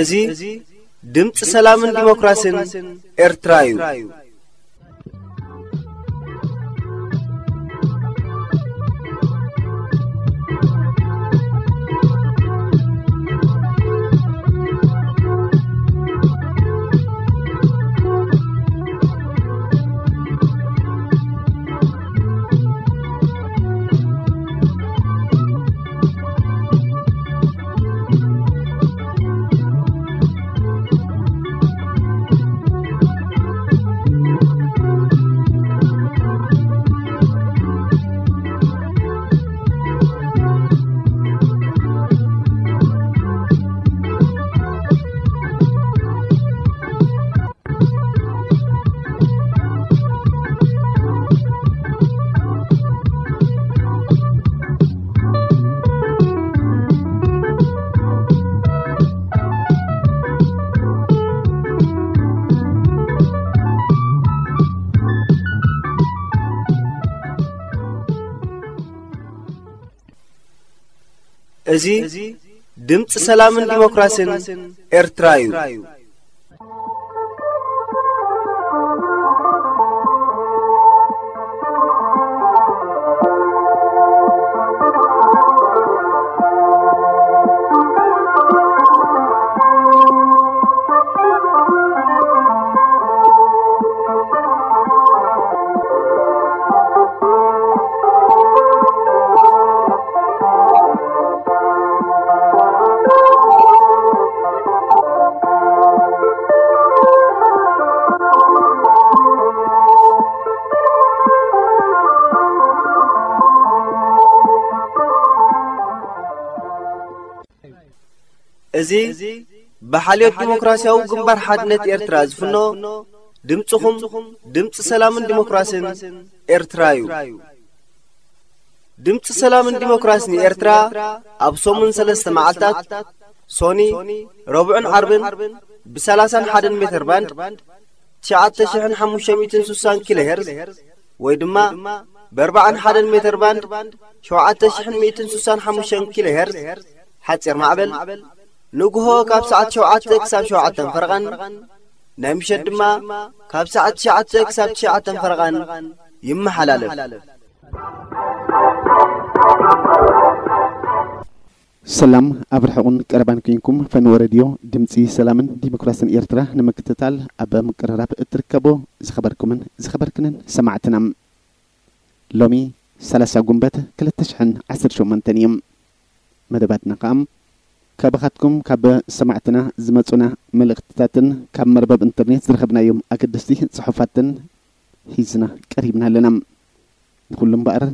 እዚ ድምፂ ሰላምን ዲሞክራሲን ኤርትራ እዩ። እዚ ድምፂ ሰላምን ዲሞክራሲን ኤርትራ እዩ። እዚ ብሓልዮት ዲሞክራሲያዊ ግንባር ሓድነት ኤርትራ ዝፍኖ ድምፅኹም ድምፂ ሰላምን ዲሞክራሲን ኤርትራ እዩ። ድምፂ ሰላምን ዲሞክራሲን ኤርትራ ኣብ ሰሙን ሰለስተ መዓልታት ሶኒ፣ ረቡዕን ዓርብን ብሰላሳን ሓደን ሜተር ባንድ ትሽዓተ ሽሕን ሓሙሽተ ሚእትን ስሳን ኪሎ ሄርዝ ወይ ድማ ብኣርባዓን ሓደን ሜተር ባንድ ሸውዓተ ሽሕን ሚእትን ስሳን ሓሙሽተን ኪሎ ሄርዝ ሓፂር ማዕበል ንግሆ ካብ ሰዓት ሸውዓተ ክሳብ ሸውዓተን ፈረቓን ናይ ምሸት ድማ ካብ ሰዓት ትሽዓተ ክሳብ ትሽዓተን ፈረቓን ይመሓላለፍ። ሰላም ኣብ ርሑቕን ቀረባን ኮይንኩም ፈነወ ሬድዮ ድምፂ ሰላምን ዲሞክራሲን ኤርትራ ንምክትታል ኣብ ምቅርራብ እትርከቡ ዝኸበርኩምን ዝኸበርክንን ሰማዕትና፣ ሎሚ ሰላሳ ጉንበት ክልተ ሽሕን ዓሰርተ ሸሞንተን እዩ። መደባትና ከኣ ካባኻትኩም ካብ ሰማዕትና ዝመጹና መልእኽትታትን ካብ መርበብ ኢንተርኔት ዝረኸብናዮም ኣገደስቲ ጽሑፋትን ሒዝና ቀሪብና ኣለና። ንኹሉ እምበኣር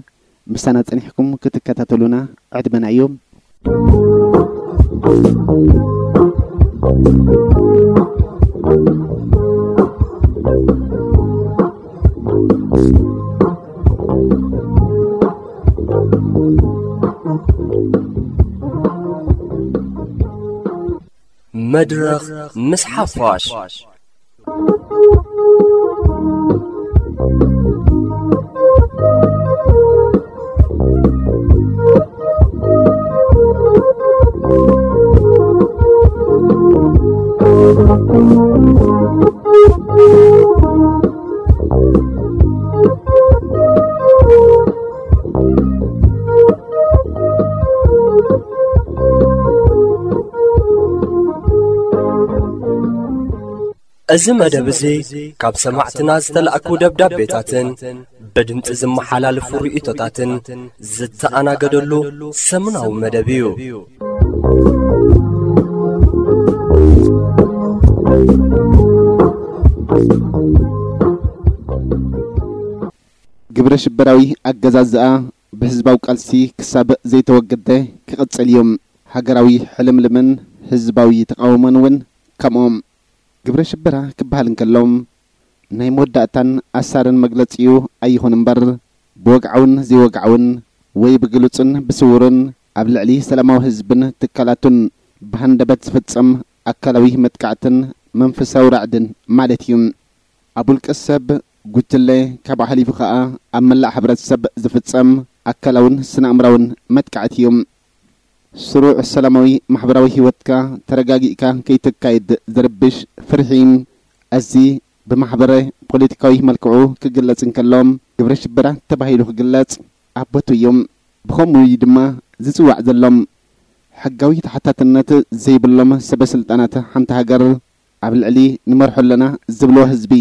ምሳና ጸኒሕኩም ክትከታተሉና ዕድመናዮ። መድረኽ ምስ ሓፋሽ። እዚ መደብ እዚ ካብ ሰማዕትና ዝተላእኩ ደብዳቤታትን ብድምጺ ዝመሓላለፉ ርእይቶታትን ዝተኣናገደሉ ሰሙናዊ መደብ እዩ። ግብረ ሽበራዊ ኣገዛዝኣ ብህዝባዊ ቃልሲ ክሳብ ዘይተወገደ ክቕጽል እዩ። ሃገራዊ ሕልምልምን ህዝባዊ ተቓውሞን እውን ከምኦም። ግብረ ሽበራ ክበሃል እንከሎ ናይ መወዳእታን ኣሳርን መግለጺኡ ኣይኹን እምበር፣ ብወግዓውን ዘይወግዓውን ወይ ብግሉጽን ብስውርን ኣብ ልዕሊ ሰላማዊ ህዝብን ትካላቱን ብሃንደበት ዝፍጸም ኣካላዊ መጥቃዕትን መንፈሳዊ ራዕድን ማለት እዩ። ኣብ ውልቀ ሰብ፣ ጉጅለ፣ ካብ ኣሕሊፉ ከኣ ኣብ መላእ ሕብረተሰብ ዝፍጸም ኣካላውን ስነ-ኣእምራውን መጥቃዕቲ እዩ። ስሩዕ ሰላማዊ ማሕበራዊ ህይወትካ ተረጋጊእካ ከይተካይድ ዝርብሽ ፍርሒ፣ እዚ ብማሕበረ ፖለቲካዊ መልክዑ ክግለጽ እንከሎ ግብረ ሽበራ ተባሂሉ ክግለጽ ኣቦቱ እዩ። ብኸምኡ እዩ ድማ ዝጽዋዕ ዘሎ። ሕጋዊ ተሓታትነት ዘይብሎም ሰበ ስልጣናት ሓንቲ ሃገር ኣብ ልዕሊ ንመርሖ ኣለና ዝብልዎ ህዝቢ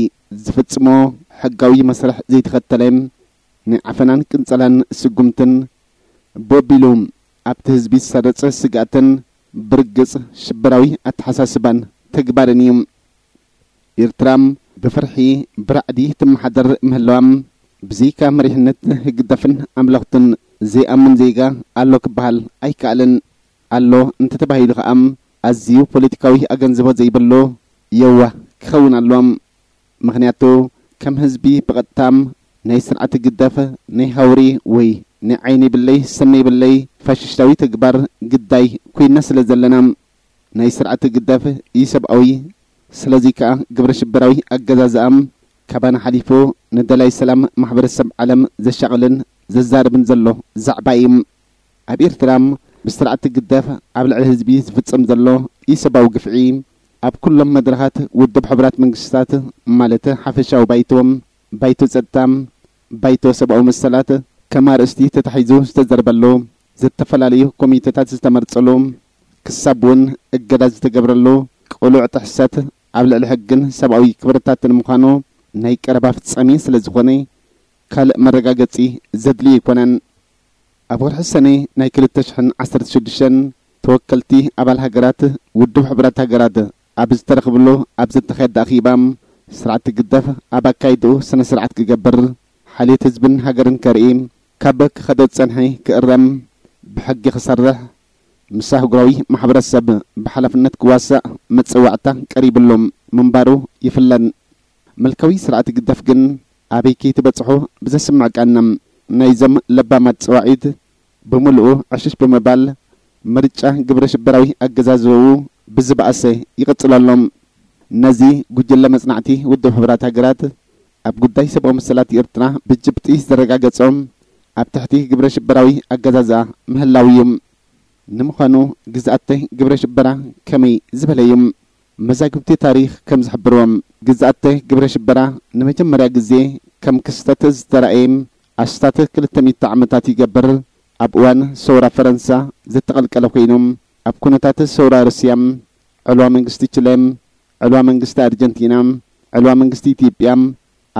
ዝፍጽሞ ሕጋዊ መስርሕ ዘይተኸተለ፣ ናይ ዓፈናን ቅንጸላን ስጉምትን፣ ብወቢሉ ኣብቲ ህዝቢ ዝሰርጽ ስግኣትን ብርግጽ ሽበራዊ ኣተሓሳስባን ተግባርን እዩ። ኤርትራ ብፍርሒ፣ ብራዕዲ ትመሓደር ምህላዋ፣ ብዘይካ መሪሕነት ህግደፍን ኣምለኽቱን ዘይኣምን ዜጋ ኣሎ ክበሃል ኣይከኣልን። ኣሎ እንተተባሂሉ ከኣ፣ ኣዝዩ ፖለቲካዊ ኣገንዝቦ ዘይብሉ የዋህ ክኸውን ኣለዎ። ምኽንያቱ፣ ከም ህዝቢ ብቐጥታ ናይ ስርዓት ህግደፍ ናይ ሃውሪ ወይ ናይ ዓይኒ ብለይ ሰኒ ብለይ ፋሽስታዊ ተግባር ግዳይ ኮይና ስለ ዘለና፣ ናይ ስርዓት ህግደፍ ኢሰብኣዊ፣ ስለዚ ከኣ ግብረ ሽበራዊ ኣገዛዝኣ ካባና ሓሊፉ ንደላይ ሰላም ማሕበረሰብ ዓለም ዘሻቕልን ዘዛርብን ዘሎ ዛዕባ እዩ። ኣብ ኤርትራ ብስርዓት ህግደፍ ኣብ ልዕሊ ህዝቢ ዝፍጸም ዘሎ ኢሰብኣዊ ግፍዒ፣ ኣብ ኩሎም መድረኻት ውድብ ሕቡራት መንግስታት፣ ማለት ሓፈሻዊ ባይቶ፣ ባይቶ ጸጥታ፣ ባይቶ ሰብኣዊ መሰላት ከም ኣርእስቲ ተታሒዙ ዝተዘርበሉ፣ ዝተፈላለዩ ኮሚተታት ዝተመርጸሉ፣ ክሳብ እውን እገዳ ዝተገብረሉ ቅሉዕ ጥሕሰት ኣብ ልዕሊ ሕግን ሰብኣዊ ክብርታትን ምዃኑ ናይ ቀረባ ፍጻሜ ስለ ዝኾነ፣ ካልእ መረጋገጺ ዘድልዮ ኣይኮነን። ኣብ ወርሒ ሰነ ናይ ክልተ ሽሕን ዓሰርተ ሽዱሽተን ተወከልቲ ኣባል ሃገራት ውድብ ሕቡራት ሃገራት ኣብ ዝተረኽብሉ ኣብ ዝተኻየደ ኣኼባ፣ ስርዓት ህግደፍ ኣብ ኣካይድኡ ስነ ስርዓት ክገብር፣ ሓልዮት ህዝብን ሃገርን ከርኢ፣ ካብ ክኸዶ ዝጸንሐ ክእረም፣ ብሕጊ ክሰርሕ፣ ምስ ኣህጉራዊ ማሕበረሰብ ብሓላፍነት ክዋሳእ መጸዋዕታ ቀሪብሉ ምንባሩ ይፍለጥ። ምልካዊ ስርዓት ህግደፍ ግን ኣበይ ከይትበጽሑ ብዘስምዕ ቃና ናይዞም ለባማት ጸዋዒት ብምሉኡ ዕሽሽ ብምባል፣ ምርጫ ግብረ ሽበራዊ ኣገዛዝባኡ ብዝበኣሰ ይቕጽል ኣሎ። ነዚ ጉጅለ መጽናዕቲ ውድብ ሕቡራት ሃገራት ኣብ ጉዳይ ሰብኣዊ መሰላት ኤርትራ ብጭብጢ ዘረጋገጾ ኣብ ትሕቲ ግብረ ሽበራዊ ኣገዛዝኣ ምህላው እዩ። ንምዃኑ ግዝኣተ ግብረ ሽበራ ከመይ ዝበለ እዩ? መዛግብቲ ታሪኽ ከም ዝሕብርዎ፣ ግዝኣተ ግብረ ሽበራ ንመጀመርያ ግዜ ከም ክስተት ዝተራእየ ኣስታት ክልተ ሚእቲ ዓመታት ይገብር። ኣብ እዋን ሰውራ ፈረንሳ ዝተቐልቀለ ኮይኑ፣ ኣብ ኩነታት ሰውራ ሩስያ፣ ዕልዋ መንግስቲ ቺለ፣ ዕልዋ መንግስቲ ኣርጀንቲና፣ ዕልዋ መንግስቲ ኢትዮጵያ፣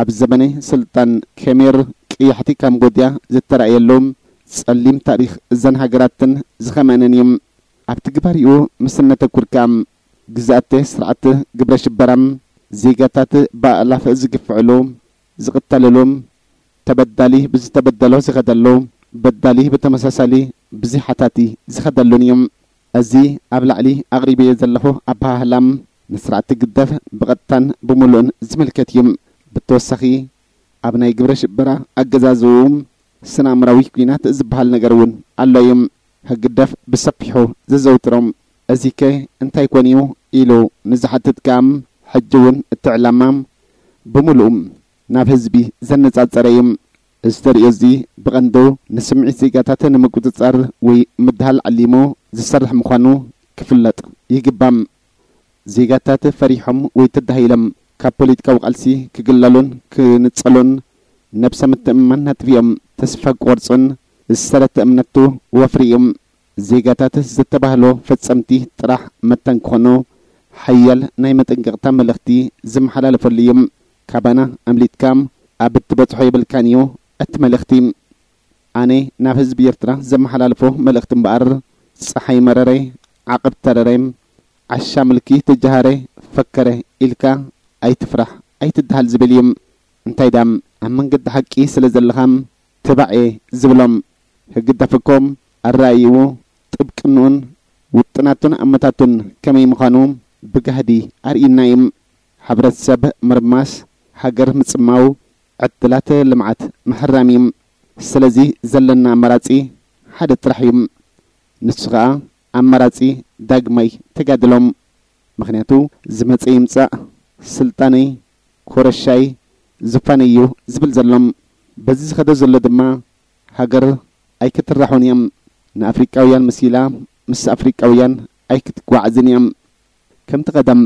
ኣብ ዘበነ ስልጣን ከሜር ቀያሕቲ ካምቦድያ ዝተራእየሉ ጸሊም ታሪኽ እዘን ሃገራትን ዝኸመንን እዩ። ኣብ ትግባሪኡ ምስ እነተኩር ከኣ፣ ግዝኣተ ስርዓት ግብረ ሽበራ ዜጋታት ብኣእላፍ ዝግፍዕሉ፣ ዝቕተልሉ፣ ተበዳሊ ብዝተበደሎ ዝኸደሉ፣ በዳሊ ብተመሳሳሊ ብዘይ ሓታቲ ዝኸደሉን እዩ። እዚ ኣብ ላዕሊ ኣቕሪበዮ ዘለኹ ኣበሃህላ ንስርዓት ህግደፍ ብቐጥታን ብምሉእን ዝምልከት እዩ። ብተወሳኺ፣ ኣብ ናይ ግብረ ሽበራ ኣገዛዝኡ ስነ-ኣእምራዊ ኲናት ዝበሃል ነገር እውን ኣሎ እዩ። ህግደፍ ብሰፊሑ ዘዘውትሮም፣ "እዚከ እንታይ ኮን እዩ?" ኢሉ ንዝሓትት ከኣ፣ ሕጂ እውን እቲ ዕላማ ብምሉኡ ናብ ህዝቢ ዘነጻጸረ እዩ። እዚ ተርእዮ እዚ ብቐንዱ ንስምዒት ዜጋታት ንምቁጽጻር ወይ ምድሃል ዓሊሙ ዝሰርሕ ምዃኑ ክፍለጥ ይግባእ። ዜጋታት ፈሪሖም ወይ ተዳሂሎም ካብ ፖለቲካዊ ቃልሲ ክግለሉን ክንጸሉን ነብሰ ምትእምማን ኣጥፊኦም ተስፋ ክቖርጹን ዝሰረተ እምነቱ ወፍሪ እዩ። ዜጋታት ዝተባህሉ ፈጸምቲ ጥራሕ መታን ክኾኑ ሓያል ናይ መጠንቀቕታ መልእኽቲ ዝመሓላለፈሉ እዩ። ካባና ኣምሊጥካ ኣብ እትበጽሖ የብልካን እዩ እቲ መልእኽቲ። ኣነ ናብ ህዝቢ ኤርትራ ዘመሓላልፎ መልእኽቲ እምበኣር፣ ጸሓይ መረረ፣ ዓቐብ ተረረ፣ ዓሻ ምልኪ ተጀሃረ፣ ፈከረ ኢልካ ኣይትፍራሕ ኣይትደሃል ዝብል እዩ። እንታይ ዳም ኣብ መንገዲ ሓቂ ስለ ዘለኻ ትባዕ እየ ዝብሎም። ህግደፍ እኮ ኣረኣይኡ፣ ጥብቅንኡን ውጥናቱን ኣመታቱን ከመይ ምዃኑ ብጋህዲ ኣርእዩና እዩ። ሕብረተሰብ ምርማስ፣ ሃገር ምጽማው፣ ዕድላት ልምዓት ምሕራም እዩ። ስለዚ ዘለና ኣማራጺ ሓደ ጥራሕ እዩ። ንሱ ኸኣ ኣማራጺ ዳግማይ ተጋድሎ። ምኽንያቱ ዝመጸ ይምጻእ፣ ስልጣነይ፣ ኮረሻይ፣ ዙፋነይ እዩ ዝብል ዘሎ። በዚ ዝኸደ ዘሎ ድማ ሃገር ኣይክትራሖን እያ። ንኣፍሪቃውያን መሲላ ምስ ኣፍሪቃውያን ኣይክትጓዓዝን እያ። ከምቲ ቀደም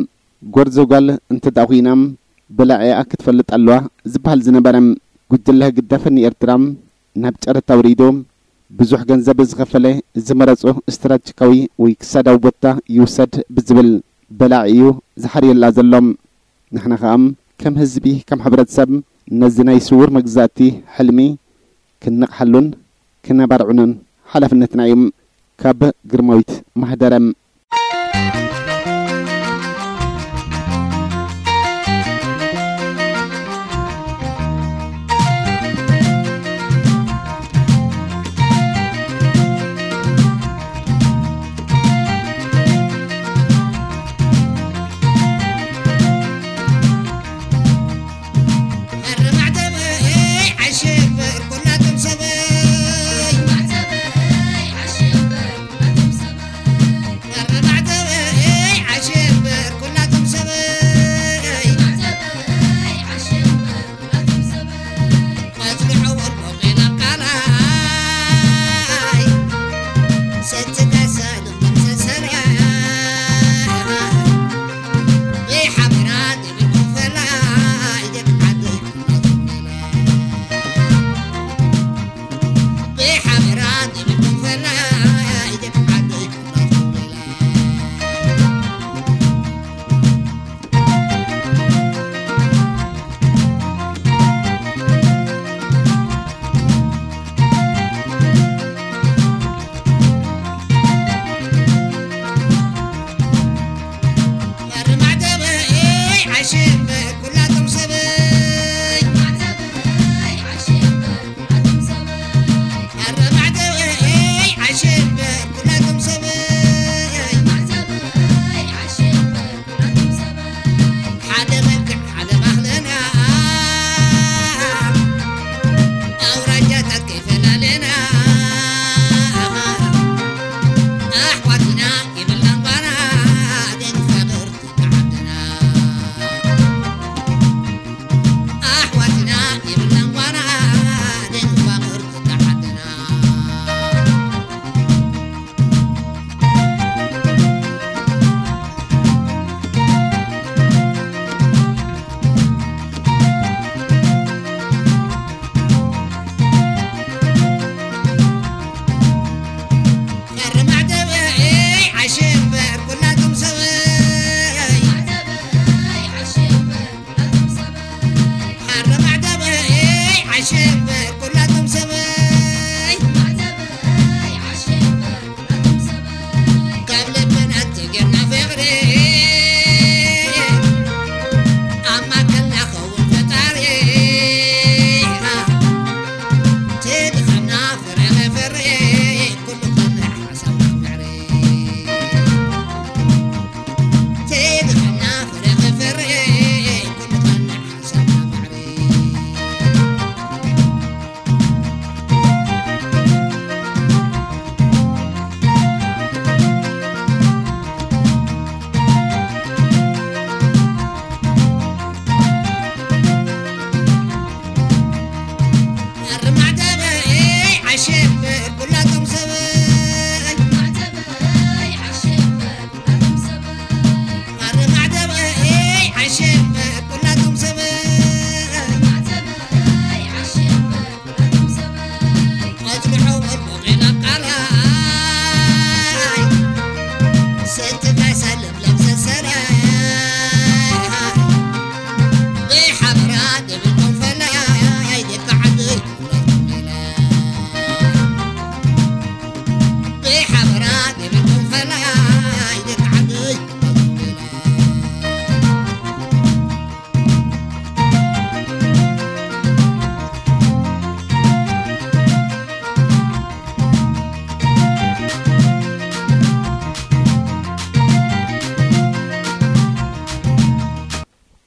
ጎርዞ ጓል እንተ ደኣ ኹይና በላዒኣ ክትፈልጥ ኣለዋ ዝበሃል ዝነበረ፣ ጉጅለ ህግደፍ ንኤርትራ ናብ ጨረታ ኣውሪዱ ብዙሕ ገንዘብ ዝኸፈለ ዝመረጾ ስትራቴጂካዊ ወይ ክሳዳዊ ቦታ ይውሰድ ብዝብል በላዒ እዩ ዝሓርየላ ዘሎ። ንሕና ኸኣ ከም ህዝቢ፣ ከም ሕብረተሰብ ነዚ ናይ ስዉር መግዛእቲ ሕልሚ ክንነቕሓሉን ክነባርዕኖን ሓላፍነትና እዩ። ካብ ግርማዊት ማህደረ።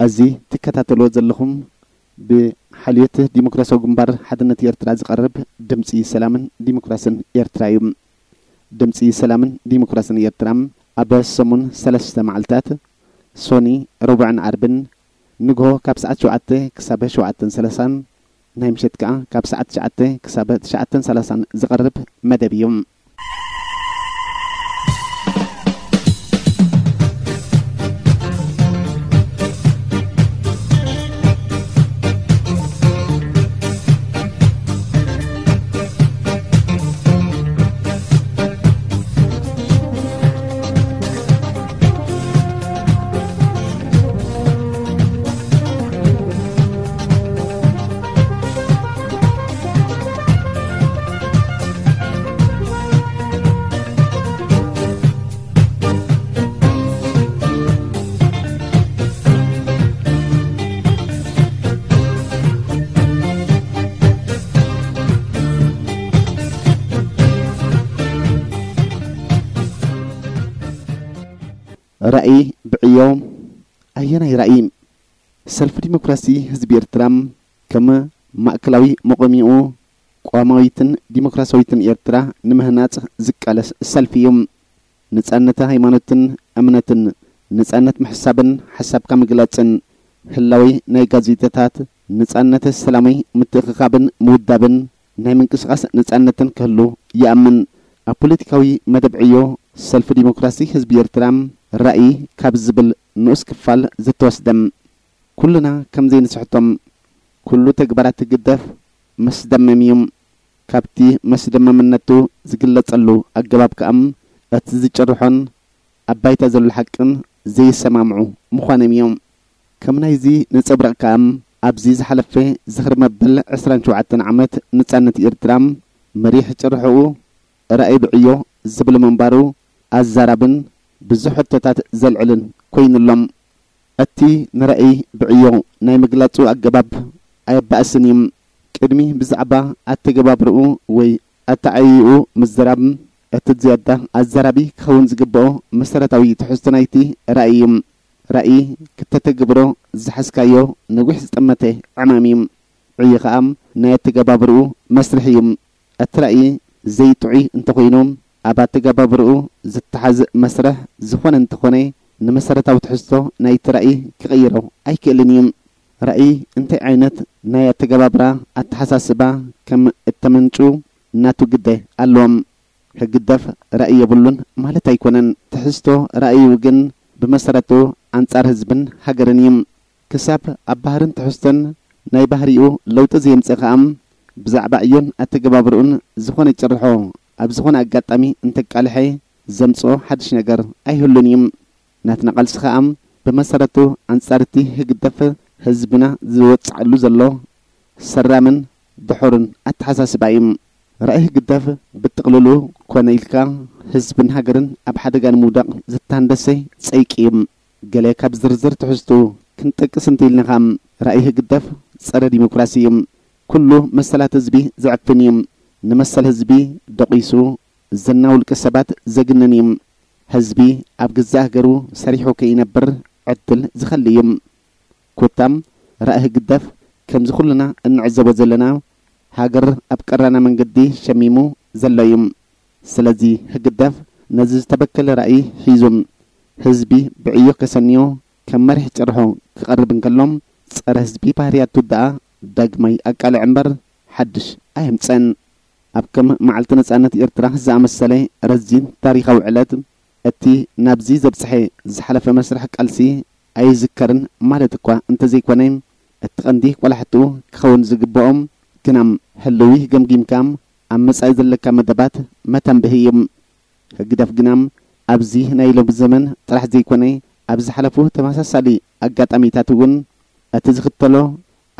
እዚ ትከታተልዎ ዘለኹም ብሓልዮት ዲሞክራሲያዊ ግንባር ሓድነት ኤርትራ ዝቐርብ ድምጺ ሰላምን ዲሞክራስን ኤርትራ እዩ። ድምጺ ሰላምን ዲሞክራስን ኤርትራ ኣብ ሰሙን ሰለስተ መዓልታት፣ ሶኒ፣ ረቡዕን ዓርብን፣ ንግሆ ካብ ሰዓት ሸውዓተ ክሳብ ሸውዓተን ሰላሳን፣ ናይ ምሸት ከኣ ካብ ሰዓት ትሽዓተ ክሳብ ትሽዓተን ሰላሳን ዝቐርብ መደብ እዩ። ራእይ ብዕዮ ኣየናይ ራእይ? ሰልፊ ዲሞክራሲ ህዝቢ ኤርትራ ከም ማእከላዊ መቆሚኡ ቅዋማዊትን ዲሞክራሲያዊትን ኤርትራ ንምህናጽ ዝቃለስ ሰልፊ እዩ። ነጻነት ሃይማኖትን እምነትን፣ ነጻነት ምሕሳብን ሓሳብካ ምግላጽን፣ ህላዊ ናይ ጋዜጣታት ነጻነት፣ ሰላማዊ ምትእኽኻብን ምውዳብን፣ ናይ ምንቅስቓስ ነጻነትን ክህሉ ይኣምን። ኣብ ፖለቲካዊ መደብ ዕዮ ሰልፊ ዲሞክራሲ ህዝቢ ኤርትራ ራእይ ካብ ዝብል ንኡስ ክፋል ዝተወስደ። ኩልና ከም ዘይንስሕቶም፣ ኩሉ ተግባራት ህግደፍ መስደመም እዩ። ካብቲ መስደመምነቱ ዝግለጸሉ ኣገባብ ከኣ እቲ ዝጭርሖን ኣብ ባይታ ዘሎ ሓቅን ዘይሰማምዑ ምዃኖም እዮም። ከም ናይዚ ነጸብራቕ ከኣ ኣብዚ ዝሓለፈ ዝኽሪ መበል ዕስራን ሸውዓተን ዓመት ነጻነት ኤርትራ መሪሕ ጭርሖኡ ራእይ ብዕዮ ዝብል ምንባሩ ኣዛራብን ብዙሕ ሕቶታት ዘልዕልን ኮይኑሎም። እቲ ንራእይ ብዕዮ ናይ ምግላጹ ኣገባብ ኣየባእስን እዩ። ቅድሚ ብዛዕባ ኣተገባብርኡ ወይ ኣተዓይይኡ ምዝራብ፣ እቲ ዝያዳ ኣዛራቢ ክኸውን ዝግብኦ መሰረታዊ ትሕዝቶ ናይቲ ራእይ እዩ። ራእይ ክተተግብሮ ዝሓዝካዮ ነዊሕ ዝጠመተ ዕማም እዩ። ዕዮ ኸኣ ናይ ኣተገባብርኡ መስርሕ እዩ። እቲ ራእይ ዘይጥዑይ እንተኾይኑ፣ ኣብ ኣተገባብርኡ ዝተሓዝ መስርሕ ዝኾነ እንተኾነ፣ ንመሰረታዊ ትሕዝቶ ናይቲ ራእይ ክቕይሮ ኣይክእልን እዩ። ራእይ እንታይ ዓይነት ናይ ኣተገባብራ ኣተሓሳስባ ከም እተመንጩ ናቱ ግደ ኣለዎም። ህግደፍ ራእይ የብሉን ማለት ኣይኮነን። ትሕዝቶ ራእዩ ግን ብመሰረቱ ኣንጻር ህዝብን ሃገርን እዩ። ክሳብ ኣብ ባህርን ትሕዝቶን ናይ ባህሪኡ ለውጢ ዘየምጽእ ከኣ፣ ብዛዕባ ዕዮን ኣተገባብርኡን ዝኾነ ጭርሖ ኣብ ዝኾነ ኣጋጣሚ እንተቃልሐ ዘምጽኦ ሓድሽ ነገር ኣይህሉን እዩ። ናትና ቃልሲ ከኣ ብመሰረቱ ኣንጻር እቲ ህግደፍ ህዝብና ዝወጽዓሉ ዘሎ ሰራምን ድሑርን ኣተሓሳስባ እዩ። ራእይ ህግደፍ ብጥቕልሉ ኮነ ኢልካ ህዝብን ሃገርን ኣብ ሓደጋ ንምውዳቕ ዝተሃንደሰ ጸይቂ እዩ። ገለ ካብ ዝርዝር ትሕዝቱ ክንጠቅስ እንተኢልና ከኣ፣ ራእይ ህግደፍ ጸረ ዲሞክራሲ እዩ። ኩሉ መሰላት ህዝቢ ዝዕፍን እዩ። ንመሰል ህዝቢ ደቂሱ ዝና ውልቀ ሰባት ዘግንን እዩ። ህዝቢ ኣብ ገዛእ ሃገሩ ሰሪሑ ከይነብር ዕድል ዝኸሊ እዩ። ኮታም ራእይ ህግደፍ ከምዚ ኩልና እንዕዘቦ ዘለና ሃገር ኣብ ቀራና መንገዲ ሸሚሙ ዘሎ እዩ። ስለዚ ህግደፍ ነዚ ዝተበከለ ራእይ ሒዙ ህዝቢ ብዕዮ ከሰንዮ ከም መሪሕ ጭርሖ ክቐርብ እንከሎ፣ ጸረ ህዝቢ ባህርያቱ ደኣ ዳግማይ ኣቃልዕ እምበር ሓድሽ ኣየምጸን። ኣብ ከም መዓልቲ ነጻነት ኤርትራ ዝኣመሰለ ረዚን ታሪኻዊ ዕለት፣ እቲ ናብዚ ዘብጽሐ ዝሓለፈ መስርሕ ቃልሲ ኣይዝከርን ማለት እኳ እንተዘይኮነ፣ እቲ ቀንዲ ቆላሕትኡ ክኸውን ዝግብኦም ግናም ህልዊ ገምጊምካ ኣብ መጻኢ ዘለካ መደባት መተንብሂ እዩ። ህግደፍ ግናም ኣብዚ ናይ ሎሚ ዘመን ጥራሕ ዘይኮነ፣ ኣብ ዝሓለፉ ተመሳሳሊ ኣጋጣሚታት እውን እቲ ዝኽተሎ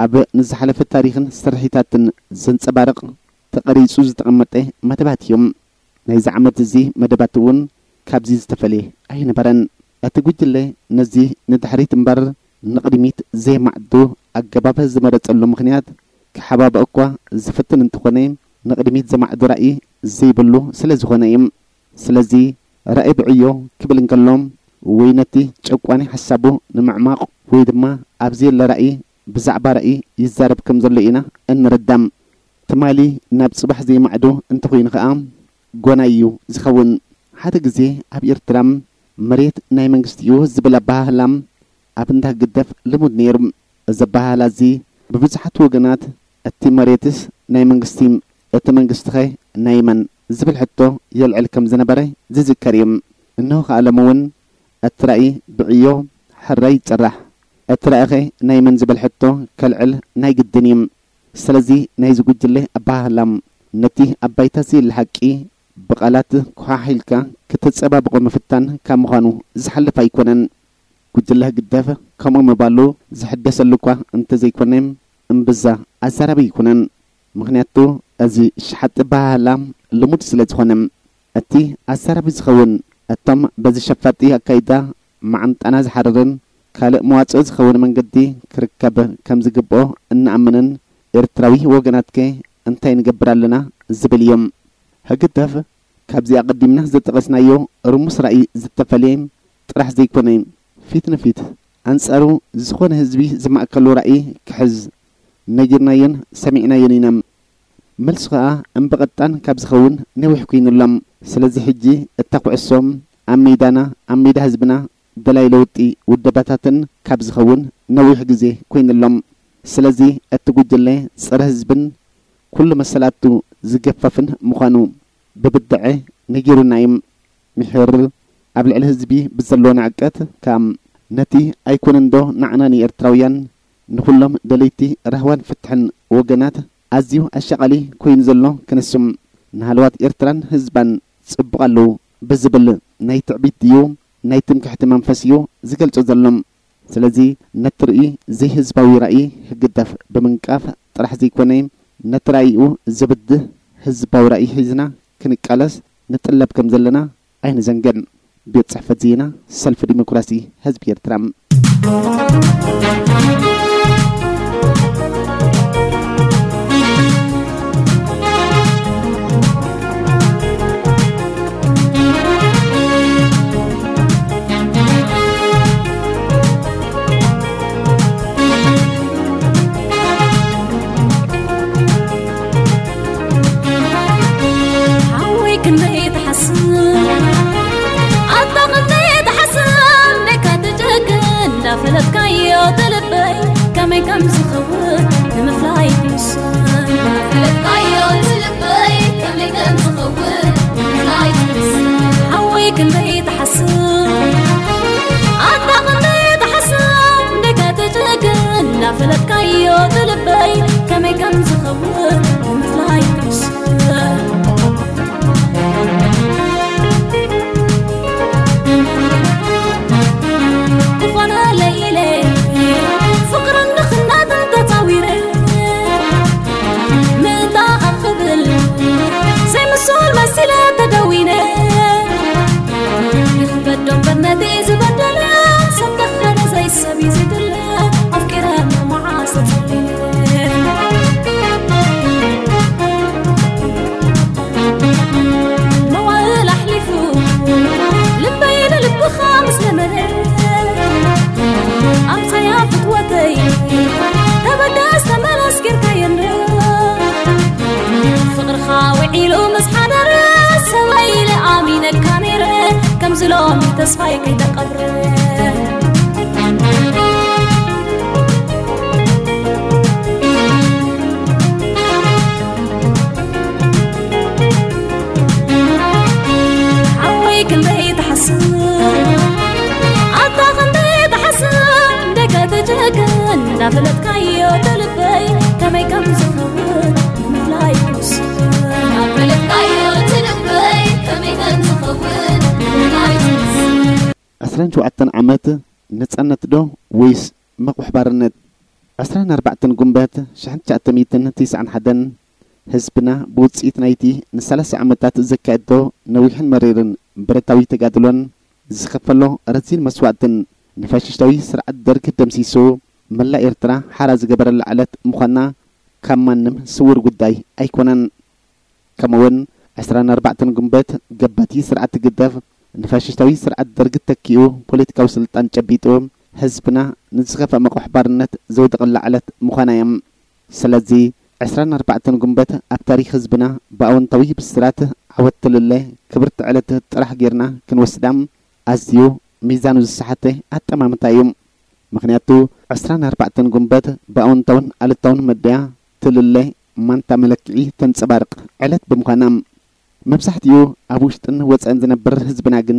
ኣብ ንዝሓለፈ ታሪኽን ስርሒታትን ዘንጸባርቕ ተቐሪጹ ዝተቐመጠ መደባት እዮም። ናይዚ ዓመት እዚ መደባት እውን ካብዚ ዝተፈልየ ኣይነበረን። እቲ ጉጅለ ነዚ ንድሕሪት እምበር ንቕድሚት ዘየማዕዱ ኣገባብ ዝመረጸሉ ምኽንያት ክሓባብእ እኳ ዝፍትን እንተኾነ፣ ንቕድሚት ዘማዕዱ ራእይ ዘይብሉ ስለ ዝኾነ እዩ። ስለዚ ራእይ ብዕዮ ክብል እንከሎ፣ ወይ ነቲ ጨቋኒ ሓሳቡ ንምዕማቕ ወይ ድማ ኣብ ዘየለ ራእይ ብዛዕባ ራእይ ይዛረብ ከም ዘሎ ኢና እንርዳም። ትማሊ ናብ ጽባሕ ዘይማዕዶ እንተኾይኑ ኸኣ ጎናይ እዩ ዝኸውን። ሓደ ግዜ ኣብ ኤርትራ መሬት ናይ መንግስቲ እዩ ዝብል ኣበሃህላ ኣብ እንዳ ህግደፍ ልሙድ ነይሩ። እዚ ኣበሃህላ እዚ ብብዙሓት ወገናት እቲ መሬትስ ናይ መንግስቲ፣ እቲ መንግስቲ ኸ ናይ መን ዝብል ሕቶ የልዕል ከም ዝነበረ ዝዝከር እዩ። እንሆ ኸኣ ሎሚ እውን እቲ ራእይ ብዕዮ ሕራይ ይጽራሕ። እቲ ራእይኸ ናይ መን ዝብል ሕቶ ከልዕል ናይ ግድን እዩ። ስለዚ ናይዚ ጉጅለ ኣበሃህላ ነቲ ኣብ ባይታ ዘየለ ሓቂ ብቓላት ኮሓሒልካ ክተጸባብቖ ምፍታን ካብ ምዃኑ ዝሓልፍ ኣይኮነን። ጉጅለ ህግደፍ ከምኡ ምባሉ ዝሕደሰሉ እኳ እንተዘይኮነ፣ እምብዛ ኣዛራቢ ኣይኮነን። ምኽንያቱ እዚ ሸሓጢ ኣበሃህላ ልሙድ ስለ ዝኾነ። እቲ ኣዛራቢ ዝኸውን እቶም በዚ ሸፋጢ ኣካይዳ መዓንጣና ዝሓርርን ካልእ መዋጽኦ ዝኸውን መንገዲ ክርከብ ከም ዝግብኦ እንኣምንን ኤርትራዊ ወገናትከ እንታይ ንገብር ኣለና ዝብል እዮም። ህግደፍ ካብዚ ኣቐዲምና ዝጠቐስናዮ ርሙስ ራእይ ዝተፈልየ ጥራሕ ዘይኮነ፣ ፊት ንፊት ኣንጻሩ ዝኾነ ህዝቢ ዝማእከሉ ራእይ ክሕዝ ነጊርናዮን ሰሚዕናዮን ኢና። መልሱ ኸኣ እምበቐጣን ካብ ዝኸውን ነዊሕ ኮይኑሎም። ስለዚ ሕጂ እታ ኩዕሶ ኣብ ሜዳና፣ ኣብ ሜዳ ህዝብና፣ ደላይ ለውጢ ውደባታትን ካብ ዝኸውን ነዊሕ ግዜ ኮይኑሎም። ስለዚ እቲ ጉጅለ ጸረ ህዝብን ኩሉ መሰላቱ ዝገፈፍን ምዃኑ ብብድዐ ነጊሩና እዩ። ምሒር ኣብ ልዕሊ ህዝቢ ብዘለዎ ንዕቀት ከኣ ነቲ ኣይኮነንዶ ንዓና ንኤርትራውያን ንኹሎም ደለይቲ ራህዋን ፍትሕን ወገናት ኣዝዩ ኣሻቓሊ ኮይኑ ዘሎ ክንሱ ንሃለዋት ኤርትራን ህዝባን ጽቡቕ ኣለዉ ብዝብል ናይ ትዕቢት ድዩ ናይ ትምክሕቲ መንፈስ እዩ ዝገልጾ ዘሎ። ስለዚ ነቲ ርእይ ዘይህዝባዊ ራእይ ህግደፍ ብምንቃፍ ጥራሕ ዘይኮነ ነቲ ራእይኡ ዘብድህ ህዝባዊ ራእይ ሒዝና ክንቃለስ ንጥለብ ከም ዘለና ኣይንዘንግዕ። ቤት ጽሕፈት ዜና ሰልፊ ዲሞክራሲ ህዝቢ ኤርትራ። ሓወይ ክንደይ ትሓስብ፣ ኣታ ክንደይ ትሓስብ፣ ደካ ትጨክን እንዳፈለጥካዮ ትልበይ ከመይ ከም ዝኸውን ንምፍላይ ትምስን። እንዳፈለጥካዮ ትልበይ ከመይ ከም ዝኸውን ንምፍላይ ትምስን። ሓወይ ክንደይ ትሓስብ፣ ኣታ ክንደይ ትሓስብ፣ ደካ ትጨክን እንዳፈለጥካዮ ትልበይ ከመይ ከም ዝኸውን ንምፍላይ ትምስን። ክኾነለይ ኢለ ፍቕርን ድኽነትን ተጻዊረ፣ ምእንታኻ ክብል ዘይምሱል መሲለ ተደዊነ። ይኽበዶ እምበር ነቲ ዝበደለ፣ ሰብ ተኽበረ ዘይሰብ እዩ ዝድለ። ኣፍቂረ መዓስ ተጸልየ። መዋእል ኣሕሊፉ ልበይ ንልብኻ ምስ ለመነ፣ ኣምሳያ ፍትወተይ ተበገስ ተመለስ ጌርካየኒ። ፍቕርኻ ውዒሉ ምስ ሓደረ፣ ሰበይ ኢለ ኣሚነካ ነይረ፣ ከምዚ ሎሚ ተስፋይ ከይተቐብረ። ሓወይ ክንደይ ትሓስብ፣ ኣታ ክንደይ ትሓስብ፣ ደገ ትጨክን እንዳፈለጥካዮ ትልበይ ከመይ ከም ዝኸውን ንምፍላይ ትውስን። እንዳፈለጥካዮ ትልበይ ከመይ ከም ዝኸውን ንምፍላይ ትውስን። ዕስራን ሸውዓተን ዓመት ነጻነት ዶ ወይስ መቑሕ ባርነት? ዕስራን ኣርባዕተን ጉንበት ሽሕን ትሽዓተ ሚእትን ትስዓን ሓደን ህዝብና ብውጽኢት ናይቲ ንሰላሳ ዓመታት ዘካየዶ ነዊሕን መሪርን ብረታዊ ተጋድሎን ዝኸፈሎ ረዚን መስዋእትን ንፋሽስታዊ ስርዓት ደርግ ደምሲሱ መላእ ኤርትራ ሓራ ዝገበረላ ዕለት ምዃና ካብ ማንም ስዉር ጉዳይ ኣይኮነን። ከምኡውን ዕስራን ኣርባዕተን ጉንበት ገባቲ ስርዓት ህግደፍ ንፋሽስታዊ ስርዓት ደርግ ተኪኡ ፖለቲካዊ ስልጣን ጨቢጡ፣ ህዝብና ንዝኸፍአ መቑሕ ባርነት ዘውደቐላ ዕለት ምዃና እያ። ስለዚ ዕስራን ኣርባዕተን ጉንበት ኣብ ታሪኽ ህዝብና ብኣወንታዊ ብስራት ዓወት ትልለ ክብርቲ ዕለት ጥራሕ ጌርና ክንወስዳ ኣዝዩ ሚዛኑ ዝሰሓተ ኣጠማምታ እዩ። ምኽንያቱ ዕስራን ኣርባዕተን ጉንበት ብኣወንታውን ኣሉታውን መድያ ትልለ ማንታ መለክዒ ተንጸባርቕ ዕለት ብምዃና። መብዛሕትኡ ኣብ ውሽጥን ወጻእን ዝነብር ህዝብና ግን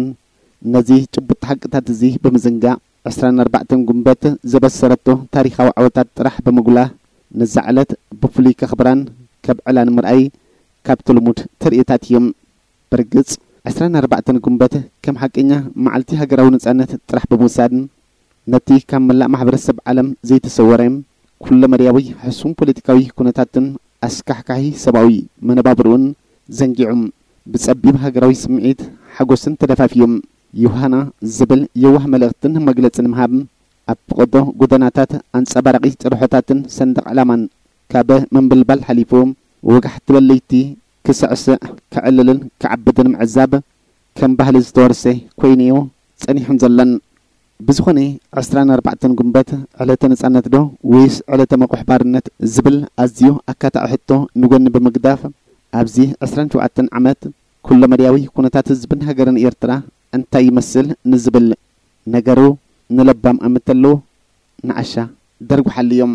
ነዚ ጭቡጥ ሓቅታት እዚ ብምዝንጋዕ ዕስራን ኣርባዕተን ጉንበት ዘበሰረቶ ታሪኻዊ ዓወታት ጥራሕ ብምጉላህ ነዛ ዕለት ብፍሉይ ከኽብራን ከብዕላን ምርኣይ ካብቲ ልሙድ ተርእዮታት እዩ። ብርግጽ ዕስራን ኣርባዕተን ጉንበት ከም ሓቀኛ መዓልቲ ሃገራዊ ነጻነት ጥራሕ ብምውሳድ ነቲ ካብ መላእ ማሕበረሰብ ዓለም ዘይተሰወረ ኩለመዳያዊ ሕሱም ፖለቲካዊ ኩነታትን ኣስካሕካሒ ሰብኣዊ መነባብርኡን ዘንጊዑ ብጸቢብ ሃገራዊ ስምዒት ሓጎስን ተደፋፍዩ ዮሃና ዝብል የዋህ መልእኽትን መግለጺ ንምሃብ ኣብ ፈቐዶ ጎደናታት ኣንጸባራቒ ጭርሖታትን ሰንደቕ ዕላማን ካብ ምንብልባል ሓሊፉ ወጋሕ ትበል ለይቲ ክስዕስዕ ክዕልልን ክዓብድን ምዕዛብ ከም ባህሊ ዝተወርሰ ኮይኑ'ዩ ጸኒሑን ዘሎን። ብዝኾነ ዕስራን ኣርባዕተን ጉንበት ዕለተ ነጻነት ዶ ወይስ ዕለተ መቑሕ ባርነት ዝብል ኣዝዩ ኣካታዒ ሕቶ ንጎኒ ብምግዳፍ ኣብዚ ዕስራን ሸውዓተን ዓመት ኩለመዳያዊ ኩነታት ህዝብን ሃገርን ኤርትራ እንታይ ይመስል ንዝብል ነገሩ ንለባም ኣምተሉ ንዓሻ ደርጉሓሉ እዮም።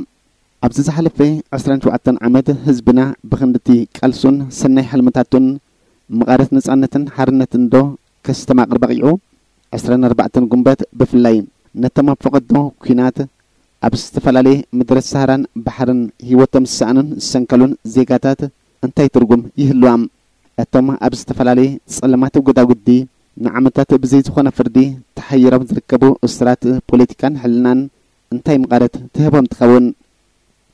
ኣብዚ ዝሓለፈ ዕስራን ሸውዓተን ዓመት ህዝብና ብኽንድቲ ቃልሱን ሰናይ ሕልምታቱን ምቓረት ነጻነትን ሓርነትን ዶ ከስተማቕር በቒዑ? ዕስራን ኣርባዕተን ጉንበት ብፍላይ ነቶም ኣብ ፈቐዶ ኲናት ኣብ ዝተፈላለየ ምድረ ሳህራን ባሕርን ህይወቶም ዝሰኣኑን ዝሰንከሉን ዜጋታት እንታይ ትርጉም ይህልዋም? እቶም ኣብ ዝተፈላለየ ጸለማት ጎዳጉዲ ንዓመታት ብዘይ ዝኾነ ፍርዲ ተሓይሮም ዝርከቡ እሱራት ፖለቲካን ሕልናን እንታይ ምቓረት ትህቦም ትኸውን?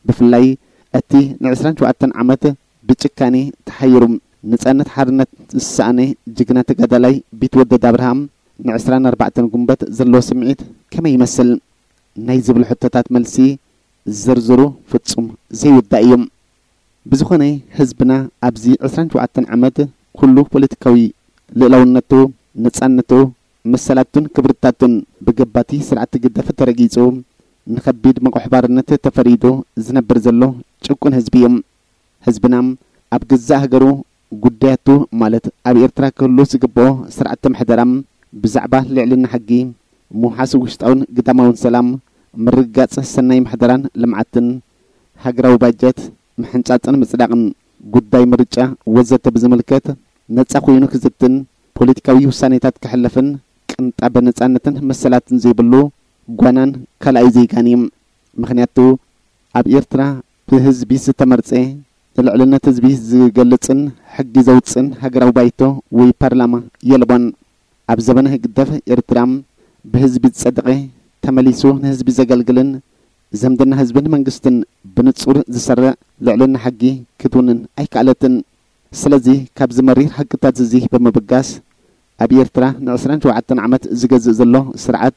ብፍላይ እቲ ንዕስራን ሸውዓተን ዓመት ብጭካኔ ተሓይሩ ነጻነት ሓርነት ዝሰኣነ ጅግና ተጋዳላይ ቢትወደድ ኣብርሃም ንዕስራን ኣርባዕተን ጉንበት ዘለዎ ስምዒት ከመይ ይመስል? ናይ ዝብሉ ሕቶታት መልሲ ዝርዝሩ ፍጹም ዘይውዳእ እዩ። ብዝኾነ ህዝብና ኣብዚ ዕስራን ሸውዓተን ዓመት ኩሉ ፖለቲካዊ ልእላውነቱ፣ ነጻነቱ፣ መሰላቱን ክብርታቱን ብገባቲ ስርዓት ግደፍ ተረጊጹ ንኸቢድ መቑሕ ባርነት ተፈሪዱ ዝነብር ዘሎ ጭቁን ህዝቢ እዩ። ህዝብና ኣብ ገዛእ ሃገሩ ጉዳያቱ ማለት ኣብ ኤርትራ ክህሉ ዝግብኦ ስርዓተ ምሕደራ ብዛዕባ ልዕልና ሕጊ፣ ምውሓስ ውሽጣውን ግዳማውን ሰላም፣ ምርግጋጽ ሰናይ ምሕደራን ልምዓትን፣ ሃገራዊ ባጀት፣ ምሕንጻጽን ምጽዳቕን፣ ጉዳይ ምርጫ ወዘተ ብዝምልከት ነጻ ኮይኑ ክዝትን ፖለቲካዊ ውሳኔታት ክሕልፍን ቅንጣበ ነጻነትን መሰላትን ዘይብሉ ጓናን ካልኣይ ዜጋን እዩ። ምኽንያቱ ኣብ ኤርትራ ብህዝቢ ዝተመርጸ ንልዕልነት ህዝቢ ዝገልጽን ሕጊ ዘውጽእን ሃገራዊ ባይቶ ወይ ፓርላማ የልቦን። ኣብ ዘበነ ህግደፍ ኤርትራ ብህዝቢ ዝጸደቐ ተመሊሱ ንህዝቢ ዘገልግልን ዝምድና ህዝብን መንግስትን ብንጹር ዝሰርዕ ልዕልና ሕጊ ክትውንን ኣይከኣለትን። ስለዚ ካብዚ መሪር ሓቅታት እዚ ብምብጋስ ኣብ ኤርትራ ንዕስራን ሸውዓተን ዓመት ዝገዝእ ዘሎ ስርዓት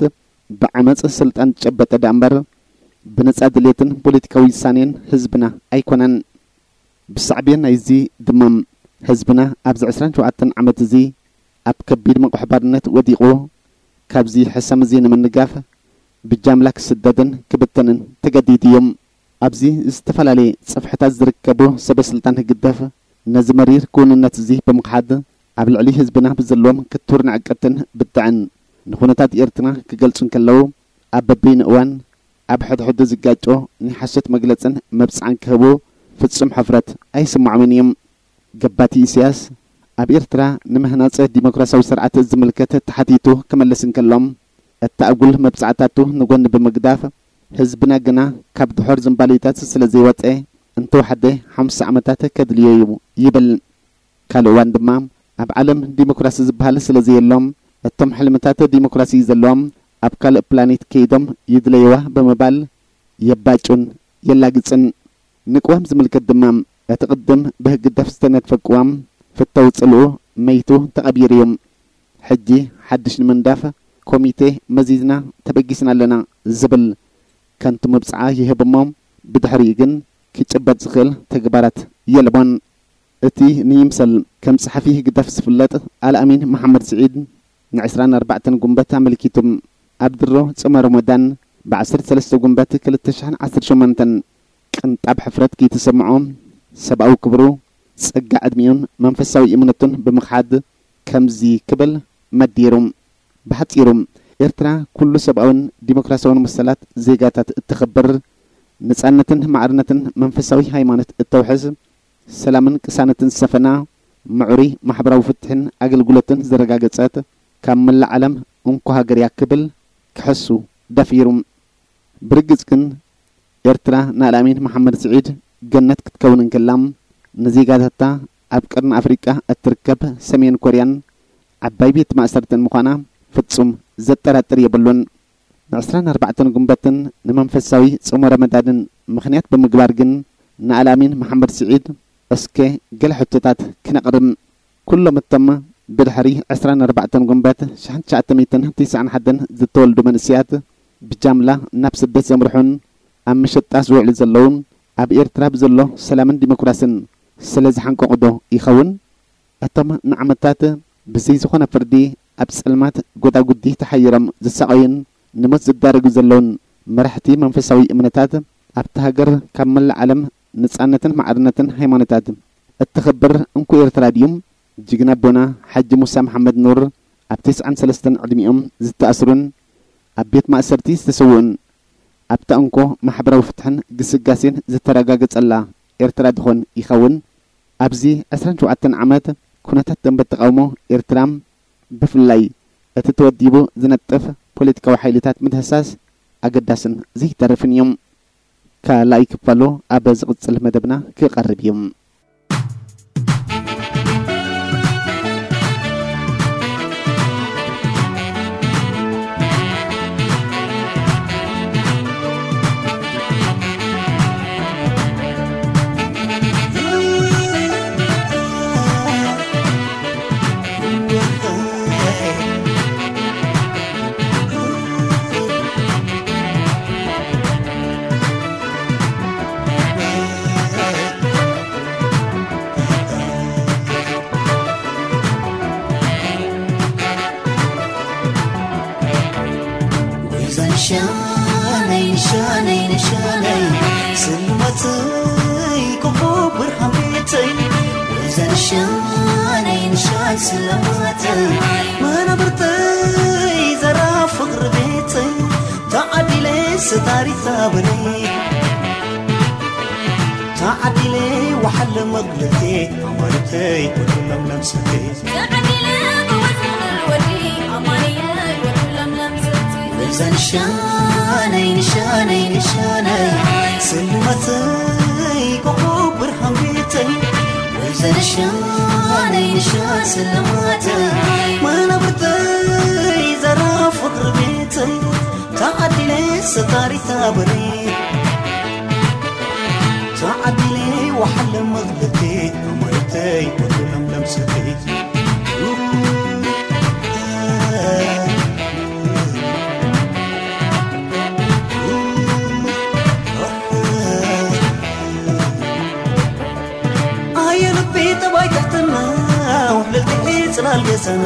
ብዓመጽ ስልጣን ዝጨበጠ ደኣ እምበር ብነጻ ድሌትን ፖለቲካዊ ውሳኔን ህዝብና ኣይኮነን። ብሳዕቤን ናይዚ ድማ ህዝብና ኣብዚ ዕስራን ሸውዓተን ዓመት እዚ ኣብ ከቢድ መቑሕ ባርነት ወዲቑ ካብዚ ሕሰም እዚ ንምንጋፍ ብጃምላ ክስደድን ክብተንን ተገዲዱ እዩ። ኣብዚ ዝተፈላለየ ጽፍሕታት ዝርከቡ ሰበ ስልጣን ህግደፍ ነዚ መሪር ክውንነት እዚ ብምኽሓድ ኣብ ልዕሊ ህዝብና ብዘለዎም ክቱር ንዕቀትን ብድዐን ንኹነታት ኤርትራ ክገልጹ እንከለዉ ኣብ በበይኑ እዋን ኣብ ሕድሕዱ ዝጋጮ ናይ ሓሶት መግለጽን መብጽዓን ክህቡ ፍጹም ሕፍረት ኣይስምዖምን እዩ። ገባቲ ኢሳያስ ኣብ ኤርትራ ንምህናጽ ዲሞክራሲያዊ ስርዓት ዝምልከት ተሓቲቱ ክመልስ እንከሎ እቲ ኣጉል መብጽዓታቱ ንጎኒ ብምግዳፍ ህዝብና ግና ካብ ድሖር ዝንባሌታት ስለ ዘይወጸ እንተወሓደ ሓምሳ ዓመታት ከድልዮ እዩ ይብል። ካልእ እዋን ድማ ኣብ ዓለም ዲሞክራሲ ዝበሃል ስለ ዘየሎም እቶም ሕልምታት ዲሞክራሲ ዘለዎም ኣብ ካልእ ፕላኔት ከይዶም ይድለይዋ ብምባል የባጩን የላግጽን። ንቅዋም ዝምልከት ድማ እቲ ቅድም ብህግደፍ ዝተነድፈ ቅዋም ፍተው ጽልኡ መይቱ ተቐቢሩ እዩ። ሕጂ ሓድሽ ንምንዳፍ ኮሚቴ መዚዝና ተበጊስና ኣለና ዝብል ከንቱ መብጽዓ ይህብ እሞ ብድሕሪኡ ግን ክጭበጥ ዝኽእል ተግባራት የልቦን። እቲ ንይምሰል ከም ጸሓፊ ህግደፍ ዝፍለጥ ኣልኣሚን መሓመድ ስዒድ ንዕስራን ኣርባዕተን ጉንበት ኣመልኪቱ ኣብ ድሮ ጾመ ረመዳን ብ ዓሰርተ ሰለስተ ጉንበት ክልተ ሽሕን ዓሰርተ ሸሞንተን ቅንጣብ ሕፍረት ከይተሰምዖ ሰብኣዊ ክብሩ፣ ጸጋ ዕድሚኡን መንፈሳዊ እምነቱን ብምኽሓድ ከምዚ ክብል መዲሩ። ብሓጺሩ፣ ኤርትራ ኩሉ ሰብኣውን ዲሞክራሲያውን መሰላት ዜጋታት እተኸብር፣ ነጻነትን ማዕርነትን መንፈሳዊ ሃይማኖት እተውሕስ፣ ሰላምን ቅሳነትን ዝሰፈና፣ ምዕሩይ ማሕበራዊ ፍትሕን ኣገልግሎትን ዘረጋገጸት፣ ካብ መላእ ዓለም እንኮ ሃገር እያ ክብል ክሕሱ ደፊሩ። ብርግጽ ግን፣ ኤርትራ ንኣልኣሚን መሓመድ ስዒድ ገነት ክትከውን እንከላ፣ ንዜጋታታ ኣብ ቀርኒ ኣፍሪቃ እትርከብ ሰሜን ኮርያን ዓባይ ቤት ማእሰርትን ምዃና ፍጹም ዘጠራጥር የብሉን። ንዕስራን ኣርባዕተን ጉንበትን ንመንፈሳዊ ጾመ ረመዳንን ምኽንያት ብምግባር ግን፣ ንኣልኣሚን መሓመድ ስዒድ እስከ ገለ ሕቶታት ክነቕርብ። ኩሎም እቶም ብድሕሪ ዕስራን ኣርባዕተን ጉንበት ሽሕን ትሽዓተ ሚእትን ትስዓን ሓደን ዝተወልዱ መንእሰያት ብጃምላ ናብ ስደት ዘምርሑን ኣብ መሸጣ ዝውዕሉ ዘለውን፣ ኣብ ኤርትራ ብዘሎ ሰላምን ዲሞክራስን ስለ ዝሓንቀቑ ዶ ይኸውን? እቶም ንዓመታት ብዘይ ዝኾነ ፍርዲ ኣብ ጸልማት ጎዳጉዲ ተሓይሮም ዝሳቐዩን ንሞት ዝዳረጉ ዘለውን መራሕቲ መንፈሳዊ እምነታት፣ ኣብታ ሃገር ካብ መላእ ዓለም ነጻነትን ማዕርነትን ሃይማኖታት እተኸብር እንኮ ኤርትራ ድዩ? ጅግና ኣቦና ሓጂ ሙሳ መሓመድ ኑር ኣብ ተስዓን ሰለስተን ዕድሚኦም ዝተኣስሩን ኣብ ቤት ማእሰርቲ ዝተሰውኡን፣ ኣብታ እንኮ ማሕበራዊ ፍትሕን ግስጋሴን ዝተረጋገጸላ ኤርትራ ድኾን ይኸውን? ኣብዚ ዕስራን ሸውዓተን ዓመት ኩነታት ደንበ ተቓውሞ ኤርትራ፣ ብፍላይ እቲ ተወዲቡ ዝነጥፍ ፖለቲካዊ ሓይልታት ምድህሳስ ኣገዳስን ዘይተርፍን እዮም። ካልኣይ ክፋሉ ኣብ ዝቕጽል መደብና ክቐርብ እዩ። ወይዘን ሻነይ፣ ሻነይ፣ ሻነይ፣ ስልማተይ፣ ኮኾብ ብርሃን ቤተይ። ወይዘን ሻነይ፣ ሻን ስልማተይ፣ መናብርተይ፣ ዘራ ፍቕሪ ቤተይ። ተዓዲለ ስታሪታ በለይ፣ ተዓዲለ ወሓለ መግለቴ፣ ኣማሪተይ፣ ወዲ ለምለም ሰተይ። ተዓዲለ ጎበዝ ምሉል ወዲ ኣማንኤል፣ ወዲ ለምለም ሰተይ። ወይዘን ሻነይ፣ ንሻነይ፣ ንሻነይ፣ ስልማተይ፣ ኮኾብ ብርሃን ቤተይ። ወይዘን ሻነይ፣ ንሻን ስልማተይ፣ መናብርተይ፣ ዘራ ፍቕሪ ቤተይ። ተዓዲለ ስታሪታ በለይ፣ ተዓዲለ ወሓለ መግለቴ፣ ኣማሪተይ፣ ወዲ ለምለም ሰተይ። ኣየ ልቢ ጠባይ ትሕትና፣ ውሕልልቲ ጽላል ገዛና።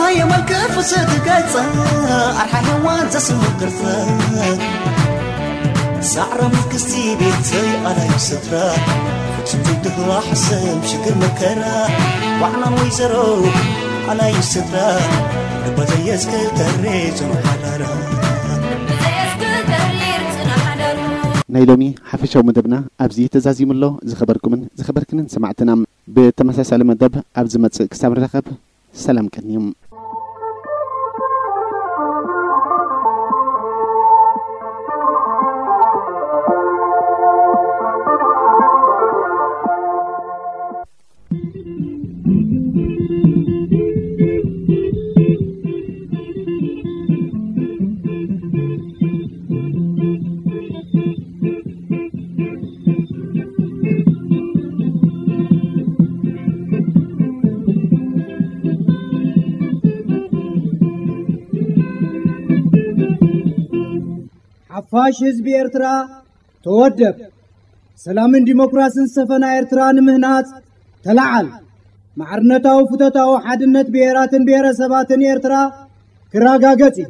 ኣየ መልክዕ ፍስእቲ ገጻ፣ ኣርሓ ሔዋን ዘስምዕ ቅርጻ። ሳዕራ መንግስቲ ቤተይ ኣላዩ ስፍራ፣ ፍጹም ዘይድህዋ ሕሰም ሽግር መከራ። ዋዕላን ወይዘሮ ኣላዩ ስፍራ፣ ልባ ዘየስክል ተሬ ጽኑዕ ሓዳራ። ናይ ሎሚ ሓፈሻዊ መደብና ኣብዚ ተዛዚሙ ኣሎ። ዝኸበርኩምን ዝኸበርክንን ሰማዕትና፣ ብተመሳሳሊ መደብ ኣብ ዝመጽእ ክሳብ ንራኸብ፣ ሰላም ቀንዮም። ሓፋሽ ህዝቢ ኤርትራ፣ ተወደብ! ሰላምን ዲሞክራስን ዝሰፈና ኤርትራ ንምህናጽ ተለዓል! ማዕርነታዊ ፍቶታዊ ሓድነት ብሄራትን ብሄረሰባትን ኤርትራ ክረጋገጽ እዩ።